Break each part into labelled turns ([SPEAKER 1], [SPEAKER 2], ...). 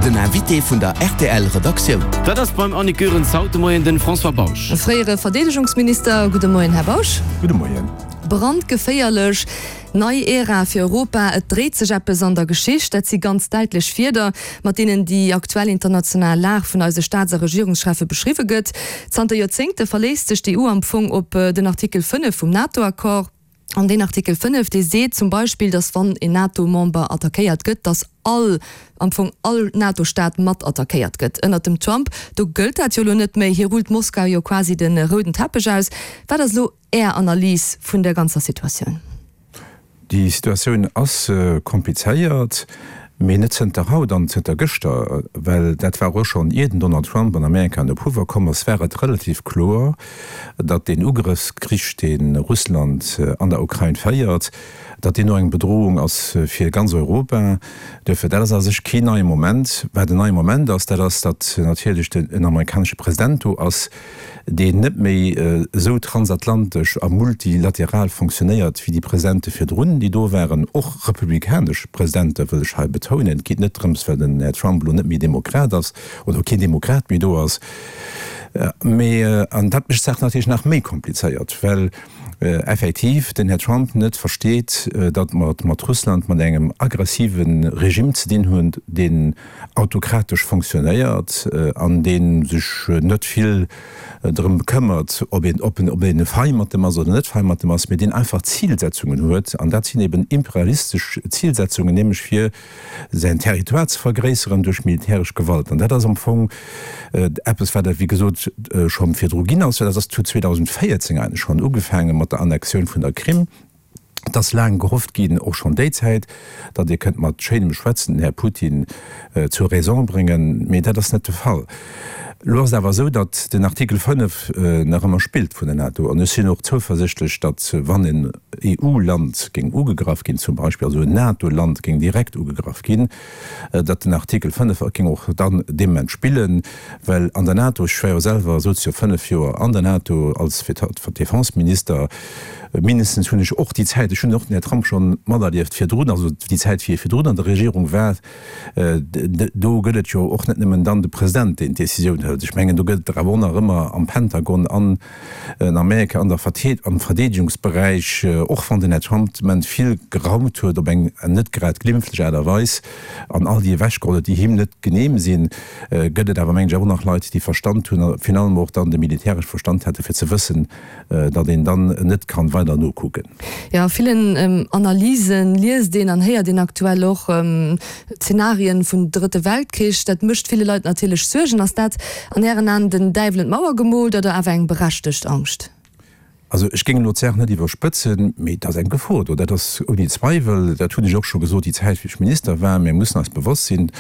[SPEAKER 1] Den Invité vun der rtl Redaktioun.
[SPEAKER 2] Dat ass beim Annick Goerens haut de Moien den François Bausch.
[SPEAKER 3] Fréiere Verdeedegungsminister. Gudde Moien, Här Bausch.
[SPEAKER 4] Gudde Moien.
[SPEAKER 3] Brandgeféierlech, nei Ära fir Europa, et dréit sech eppes an der Geschicht. Dat si ganz däitlech Wierder, mat deenen déi aktuell international Lag vun eise Staats a Regierungscheffe beschriwwe gëtt. Zanter Joerzéngte verléisst sech d'EU am Fong op den Artikel 5 vum NATO-Accord. An deen Artikel 5, dee seet zum Beispill, datt wann een NATO-Member attackéiert gëtt, datt all, am Fong all NATO-Staat mat attackéiert gëtt. Ënnert dem Trump, do gëllt dat jo elo net méi. Hie rullt Moskau jo quasi de rouden Teppech aus. Wat ass elo Är Analys vun der ganzer Situatioun?
[SPEAKER 4] Déi Situatioun ass komplizéiert, mee net zënter haut an zënter gëschter, well dat war och schonn ier den Donald Trump an Amerika an de Pouvoir komm ass, war et relativ kloer, datt deen Ugrëffskrich, dee Russland an der Ukrain féiert, datt deen och eng Bedrohung ass fir ganz Europa. Duerfir, dat ass a sech keen neie Moment. Wat en neie Moment ass, dat ass, datt natierlech en amerikanesche President do ass, deen net méi esou transatlantesch a multilateral fonctionnéiert wéi déi Presidente virdrun, déi do waren, och republikanesch Presidente wëll ech hei betounen. Et geet net drëms, well den Här Trump elo net méi Demokrat ass oder keen Demokrat méi do ass, Mee, an dat mécht d'Saach natierlech nach méi komplizéiert, well effektiv den Här Trump net versteet, datt mer et mat Russland, mat engem aggressive Regime ze dinn hunn, deen autokratesch fonctionnéiert an dee sech net vill drëm bekëmmert, ob een, ob een fei mat em ass oder net fei mat em ass, mee deen einfach Zilsetzungen huet. An dat sinn eben imperialistesch Zilsetzungen, nämlech fir säin Territoire ze vergréisseren duerch militäresch Gewalt. An dat ass am Fong eppes, wat et, wéi gesot, scho virdru ginn ass. Dat ass 2014 eigentlech schonn ugefaange mat der Annexioun vun der Krim. Et ass laang gehofft ginn, och schonn déi Zäit, datt Dir kënnt mat schéinem Schwätzen den Här Putin zur Raison bréngen. Mee dat ass net de Fall. Elo ass et awer esou, datt den Artikel 5 nach ëmmer spillt vun der NATO. An ech sinn och zouversichtlech, datt, wann en EU-Land géing ugegraff ginn zum Beispill, also en NATO-Land géing direkt ugegraff ginn, datt den Artikel 5 géing och dann dee Moment spillen. Well an der NATO, ech war jo selwer, souz jo 5 Joer an der NATO als Defenseminister, mindestens hunn ech och déi Zäit, ech hunn och den Här Trump schonn materlieft virdrun, also déi Zäit wéi e virdrun an der Regierung war, Do gëtt et jo och net nëmmen dann de President, deen d'Decisioun hëlt. Ech mengen, do gëtt et der awer och nach ëmmer am Pentagon an an Amerika an der am Verdeedegungsberäich, och wann den Här Trump de Moment vill geraumt huet op eng net grad glimpflech Aart a Weis an all déi ewechgeholl huet, déi him net genehm sinn, gëtt et awer, mengen ech, awer och nach Leit, déi Verstand hunn a virun allem och dann de militäresche Verstand hätten, fir ze wëssen, datt een dann net kann weider nokucken.
[SPEAKER 3] Jo, a villen Analysen liest een an héiert een aktuell och Zenarien vun Drëtte Weltkrich. Dat mécht ville Leit natierlech Suergen. Ass dat an Ären Aen den Däiwel un d'Mauer gemoolt oder awer eng berechtegt Angscht?
[SPEAKER 4] Also ech géing elo d'Saach net iwwerspëtzen, mee et ass eng Gefor do, dat ass ouni Zweiwel. Dat hunn ech och scho gesot déi Zäit wéi ech Minister war. Mir mussen eis bewosst sinn,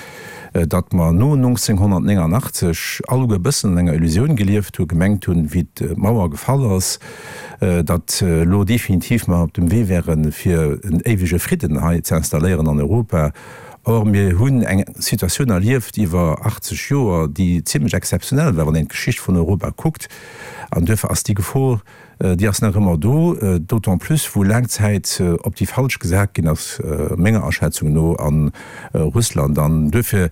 [SPEAKER 4] datt mer no 1989 alleguer e bëssen an enger Illusioun gelieft hunn, gemengt hunn, wéi d'Mauer gefall ass, datt elo definitiv mer op dem Wee wären, fir en éiwege Fridden hei ze installéieren an Europa. Or, mir hunn eng Situatioun erlieft iwwer 80 Joer, déi zimlech exzeptionell war, wann een d'Geschicht vun Europa kuckt. An duerfir ass déi Gefor, Déi ass nach ëmmer do, d'autant plus wou laang Zäit op déi falsch gesat ginn ass, menger Aschätzung no, a Russland. An duerfir,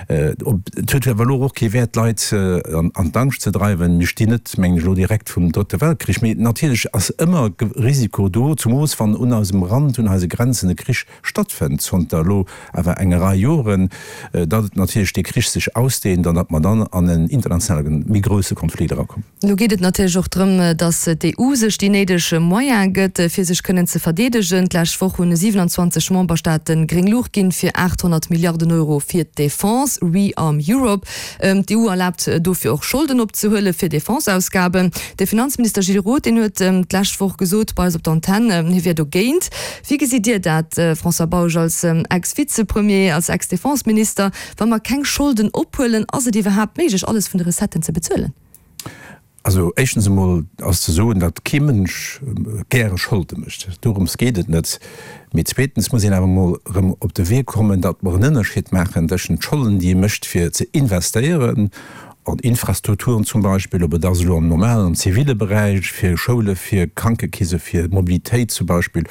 [SPEAKER 4] et huet awer elo och kee Wäert, d'Leit an d'Angscht ze dreiwen. Mir stinn net, mengen ech, elo direkt vum Drëtte Weltkrich, mee natierlech ass ëmmer Risiko do, zemoos wann un eisem Rand, un eise Grenzen e Krich stattfënnt, zanter elo awer enger Rei Joren, datt et natierlech dee Krich sech ausdehnt an datt mer dann an en internationale méi grousse Konflikt erakommen.
[SPEAKER 3] Elo geet et natierlech och drëm, datt d'EU sech déi néideg Moyene gëtt, fir sech kënnen ze verdeedegen. D'lescht Woch hunn 27 Memberstaate gréng Luucht ginn fir 800 Milliarden Euro fir d'Defense, Rearm Europe. D'EU erlaabt dofir och Scholden opzehuele fir Defenseausgaben. De Finanzminister Gilles Roth, deen huet d'lescht Woch gesot bei eis op der Antenn, hie wier dogéint. Wéi gesitt Dir dat, François Bausch, als Ex-Vizepremier, als Ex-Defenseminister? Wa mer keng Scholden ophuelen, ass et iwwerhaapt méiglech, alles vun de Recetten ze bezuelen?
[SPEAKER 4] Also éischtens emol ass ze soen, datt kee Mënsch gäre Scholde mécht. Dorëms geet et net. Mee zweetens muss een awer emol erëm op de Wee kommen, datt mer en Ënnerscheed maachen tëschent Scholden, déi ee mécht fir ze investéieren. An Infrastrukturen zum Beispill, ob et ass elo am normalen, am zivile Beräich, fir Schoule, fir Krankekeese, fir Mobilitéit zum Beispill,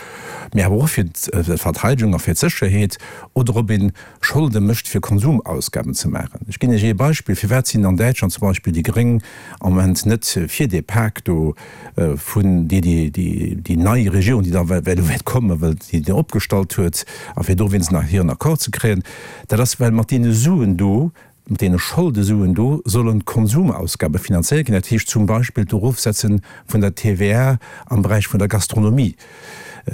[SPEAKER 4] mee awer och fir d'Verteidegung a fir d'Sécherheet, oder ob ee Scholde mécht fir Konsumausgaben ze maachen. Ech ginn Iech ee Beispill, Firwat sinn an Däitschland zum Beispill déi Gréng am Moment net fir dee Pak do vun déi déi nei Regierung, déi da elo wäert kommen, well déi deen opgestallt huet, a fir do wéinstens nach hiren Accord ze kréien? Dat ass, well mat deene Suen do, Mat deene Scholdesuen do sollen d'Konsumausgabe finanzéiert ginn, dat heescht zum Beispill d'Erofsetze vun der TVA am Beräich vun der Gastronomie.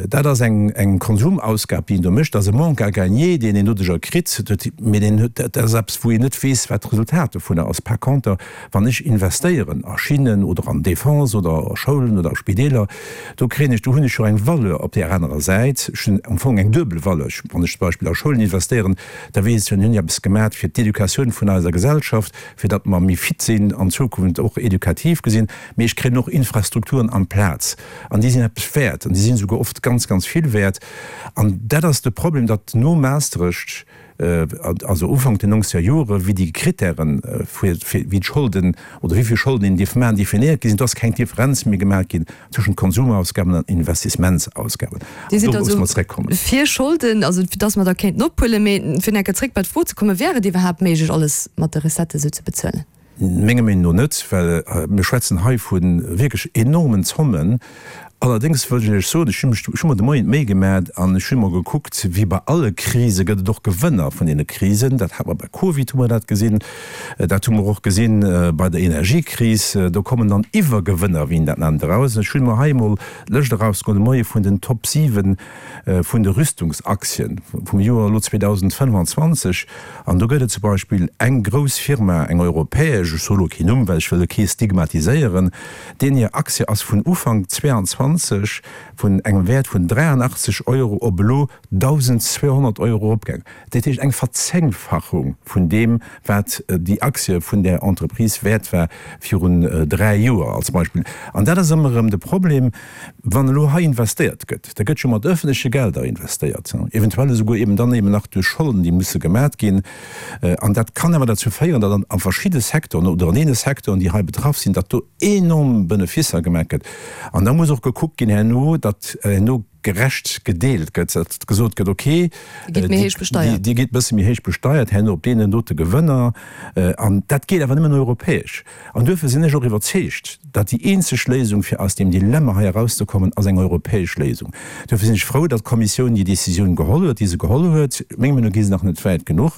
[SPEAKER 4] Dat ass eng Konsumausgab, déi een do mécht. Dat ass e Manque à gagner, deen een doduerjer kritt, mee deen huet, dat ass eppes, wou een net weess, wat d'Resultat dovunner ass. Par conter, wann ech investéieren a Schinnen oder an Defense oder a Schoulen oder a Spideeler, do kréien ech, do hunn ech jo eng Valeur op där anerer Säit. Ech hunn am Fong eng duebel Valeur. Wann ech zum Beispill a Schoulen investéieren, Da weess ech, mir hunn eppes gemat fir d'Educatioun vun eiser Gesellschaft, fir datt mer méi fit sinn an Zukunft, och edukativ gesinn. Mee ech kréien och Infrastrukturen amplaz an déi sinn eppes wäert an déi sinn esouguer oft ganz, ganz vill wäert. An dat ass de Problem, datt no Maastricht, also Ufank den nongzeger Jore wéi déi Kritären fir wéi d'Scholden oder wéi vill Scholden een dierf maachen, definéiert gi sinn, do ass keng Differenz méi gemaach ginn tëschent Konsumausgaben an Investissementsausgaben.
[SPEAKER 3] Dir sidd also fir Scholden, also fir dass mer der kéinten ophuelen. Mee fir nach eng Kéier zréck bei d'Fro ze kommen, Wär et iwwerhaapt méiglech, alles mat de Recettë sou ze bezuelen?
[SPEAKER 4] Menger Meenung no net, well mir schwätzen hei vu wierklech enormen Zommen. Allerdéngs wëll ech Iech soen, ech hu mech, ech hu mer de Moien d'Méi gemat an ech hu mol gekuckt, wéi bei alle Krise gëtt et och Gewënner vun deene Krisen. Dat hat mer bei Covid hu mer dat gesinn, dat hu mer och gesinn bei der Energiekris. Do kommen dann Iwwergewënner, wéi een dat nennt, eraus. Ech hunn mer hei emol d'Lëscht erausgeholl de Moie vun den Top 7 vun de Rüstungsaktien vum Joer elo 2025. An do gëtt et zum Beispill eng grouss Firma, eng europäesch, ech soe lo keen Numm, well ech wëll kee stigmatiséieren, deenen hir Aktie ass vun Ufank 22 vun engem Wäert vun 83 Euro op elo 1.200 Euro eropgaangen. Dat heescht eng Verzéngfachung vun deem, wat déi Aktie vun där Entreprise wäert war virun 3 Joer als Beispill. An dat ass ëmmer erëm de Problem, wann elo hei investéiert gëtt, da gëtt jo mat öffentleche Gelder investéiert, eventuell esouguer eben dann eben nach duerch Scholden, déi musse gemat ginn. An dat kann awer derzou féieren, datt a verschidde Secteuren oder an deene Secteuren, déi hei betraff sinn, datt do enorm Beneficer gemaach gëtt. An da muss och gekuckt ginn herno, datt herno gerecht gedeelt gëtt, datt gesot gëtt, okay,
[SPEAKER 3] Dir gitt méi héich besteiert.
[SPEAKER 4] Dir gitt e bësse méi héich besteiert herno op deenen dote Gewënner. An dat geet awer nëmmen europäesch. An duerfir sinn ech och iwwerzeegt, datt déi eenzeg Léisung, fir aus deem Dilemma hei erauszekommen, ass eng europäesch Léisung. Duerfir sinn ech frou, datt d'Kommissioun déi Décisioun geholl huet, déi se geholl huet. Menge Meenung no gi se nach net wäit genuch,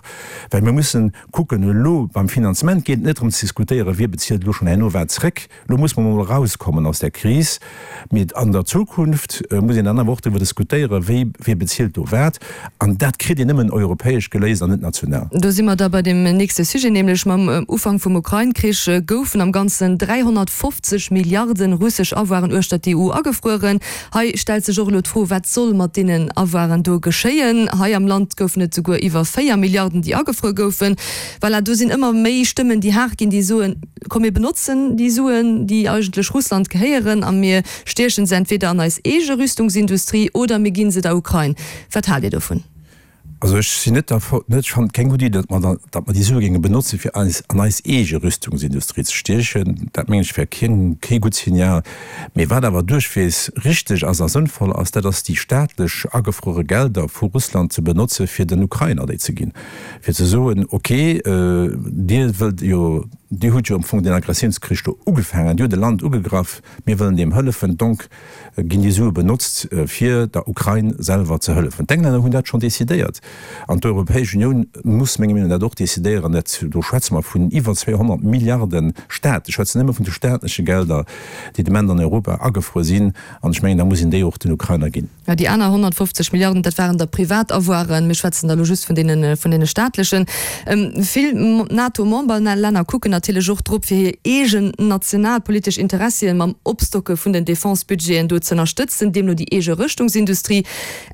[SPEAKER 4] well mir mussen kucken, elo beim Finanzement geet et net drëm ze diskutéieren, wie bezilt elo schonn herno wat zréck. Elo muss mer emol erauskommen aus där Kris, mee an der Zukunft muss een dann awer och driwwer diskutéieren, wéi, wie bezilt do wat. An dat kritt een nëmmen europäesch geléist an net national.
[SPEAKER 3] Do si mer da bei deem nächste Sujet, nämlech mam Ufank vum Ukrain-Krich goufen am Ganzen 350 Milliarden russesch Avoiren uechter d'EU agefrueren. Hei stellt sech och elo d'Fro, Wat soll mat deenen Avoiren do geschéien? Hei am Land goufen et souguer iwwer 4 Milliarden, déi agefruer goufen. Voilà, do sinn ëmmer méi Stëmmen, déi haart ginn, déi soen, Komm mir benotzen déi Suen, déi eigentlech Russland gehéieren, a mir stiechen se entweder an eis eege Rüstungsindustrie oder mir ginn se der Ukrain. Wat haalt Dir dovun?
[SPEAKER 4] Also ech sinn net derfir, ech fannen et keng gutt Iddi, datt mer, datt mer déi Sue géinge benotzen, fir eis an eis eege Rüstungsindustrie ze stiechen. Dat mengen ech wär keen, kee gutt Signal. Mee wat awer duerchweegs richteg ass a sënnvoll ass, dat ass déi staatlech agefruere Gelder vu Russland ze benotze fir den Ukrainer déi ze ginn, fir ze soen, okay, Dir wëllt jo, Dir hutt jo am Fong deen Aggressiounskrich do ugefaangen, Dir hutt e Land ugegraff, mir wëllen deem hëllefen, donc ginn déi Sue benotzt fir der Ukrain selwer ze hëllefen. D'Englänner hunn dat schonn decidéiert an d'Europäesch Unioun muss menger Meenung no dat och decidéieren. Dat, do schwätze mer vun iwwer 200 Milliarden Staat, ech schwätzen nëmme vun de staatleche Gelder, déi de Moment an Europa agefruer sinn, an ech mengen, da muss een déi och den Ukrainer ginn.
[SPEAKER 3] Jo, déi aner 150 Milliarden, dat waren da privat Avoiren. Mir schwätzen da elo just vun deene, vun deene staatlechen. Vill NATO-Memberlänner kucken natierlech och drop, fir hir eegen nationalpolitesch Interessien mam Opstocke vun den Defense-Budgeten do z'ënnerstëtzen, deemno déi eege Rëschtungsindustrie.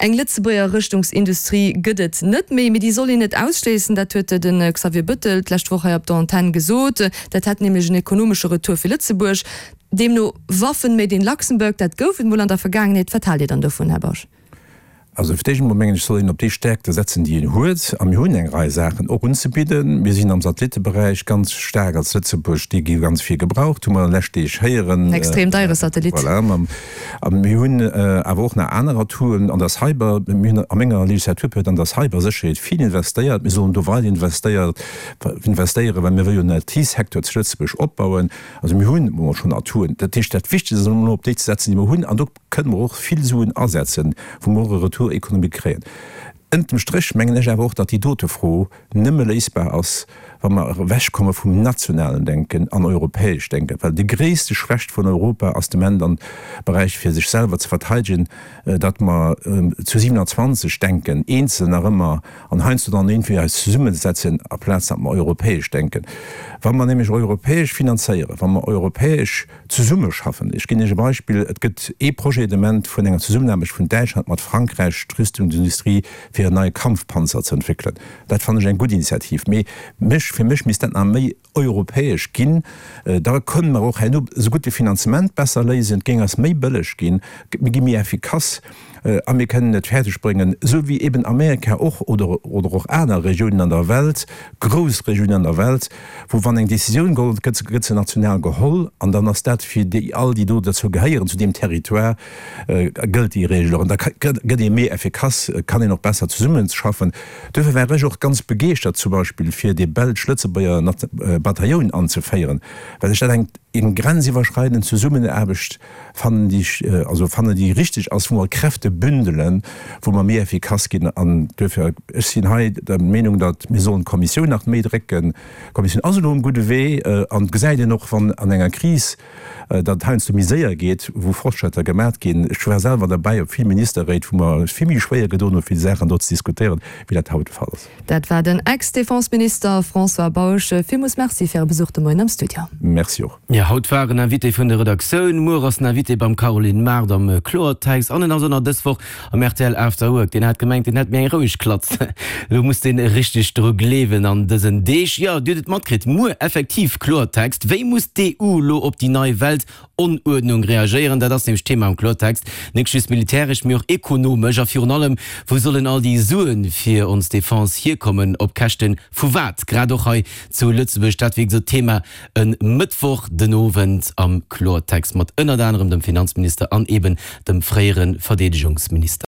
[SPEAKER 3] Eng Lëtzebuerger Rëschtungsindustrie gëtt et net méi, mee déi soll een net ausschléissen. Dat huet de Xavier Bettel d'lescht Woch hei op der Antenn gesot. Dat hätt nämlech en ekonomesche Retour fir Lëtzebuerg. Deemno Waffen made in Luxembourg, dat gouf et mol an der Vergaangenheet. Wat haalt Dir dann dovun, Här Bausch?
[SPEAKER 4] Also fir d'éischt emol mengen ech, soll een op déi Stärkte setzen, déi een huet. A mir hunn eng Rei Saachen och unzebidden. Mir sinn am Satellitteberäich ganz staark als Lëtzebuerg, dee gi ganz vill gebraucht, hu mer an de lescht Deeg héieren.
[SPEAKER 3] En extrem deiere Satellit.
[SPEAKER 4] Voilà. A mir hunn awer och nach aner Atouen an der Cyber. Mir hunn a menger Legislaturperiod an der Cybersécherheet vill investéiert. Mir sollen do weider investéieren, well mir wëlle jo en IT-Secteur zu Lëtzebuerg opbauen. Also mir hunn emol schonn Atouen. Dat heescht, dat Wichtegst ass elo op déi ze setzen, déi mer hunn. An do kënne mer och vill Suen asetzen, wou mer och e Retour économique kréien. Ënnert dem Stréch mengen ech awer och, datt déi dote Fro nëmme léisbar ass, wa mer ewechkomme vum nationalen Denken an europäesch denken, well déi gréisste Schwächt vun Europa ass de Moment am Beräich fir sech selwer ze verteidegen, datt mer zu 27 denken, eenzel nach ëmmer an heiansdo dann iergendwéi eis zesummesetzen, aplaz datt mer europäesch denken. Wa mer nämlech europäesch finanzéieren, wa mer europäesch Zesummeschaffen. Ech ginn Iech e Beispill, Et gëtt ee Projet de Moment vun enger Zesummenaarbecht vun Däitschland mat Frankräich, d'Rüstungsindustrie, fir en neie Kampfpanzer ze entwéckelen. Dat fannen ech eng gutt Initiativ. Mee mech, fir mech misst dat nach méi europäesch ginn. Da kënnen mer och herno esougutt de Finanzement besser léisen, et géing eis méi bëlleg ginn, mir gi méi effikass. A mir kënnen et fäerdeg bréngen, esou wéi eben Amerika och oder oder och aner Regiounen an der Welt, grouss Regiounen an der Welt, wou wann eng Décisioun geholl gëtt, gëtt se national geholl an dann ass dat fir déi all, déi do derzou gehéieren, zu deem Territoire, gëllt déi Regel och. An da gëtt ee méi effikass, kann een och besser zesummeschaffen. Duerfir war ech och ganz begeeschtert zum Beispill fir dee belsch-lëtzebuerger Batailloun anzeféieren, well ech dat eng eng grenziwwerschreidend Zesummenaarbecht fannen, déi ech also fannen, déi richteg ass, wou mer Kräfte bündelen, wou mer méi effikass ginn. An duerfir, ech sinn hei der Meenung, datt mir sollen d'Kommissioun nach méi drécken. D'Kommissioun ass elo um gudde Wee an et gesäit een och, wann an enger Kris, datt et heiansdo méi séier geet, wou Fortschrëtter gemat ginn. Ech war selwer derbäi op vill Ministerréit, wou mer eis vill méi schwéier gedoen hu vill Saachen do ze diskutéieren, wéi dat haut de Fall ass.
[SPEAKER 3] Dat war den Ex-Defense-Minister François Bausch. Villmools Merci fir Äre Besuch de Moien am Studio.
[SPEAKER 4] Merci och.
[SPEAKER 2] Jo, haut war en Invité vun der Redaktioun, muer ass en Invité beim Caroline Mart am Kloertext an en ass och nach dës Woch am rtl After Work. Deen hat gemengt, deen hätt méi eng roueg Klatz. Elo muss deen richteg dru gleewen an dësen Deeg. Jo, Dir hutt et matkritt, muer effektiv Kloertext. Wéi muss d'EU elo op déi nei Welt Onuerdnung reagéieren, dat ass nämlech d'Thema am Klortext, net just militäresch, mee och ekonomesch. A virun allem, wou sollen all déi Sue fir ons Defense hierkommen, op Käschte vu wat? Grad och hei zu Lëtzebuerg. Dat wéi gesot d'Thema e Mëttwoch den Owend am Klortext mat ënnert anerem dem Finanzminister an eben dem fréiere Verdeedegungsminister.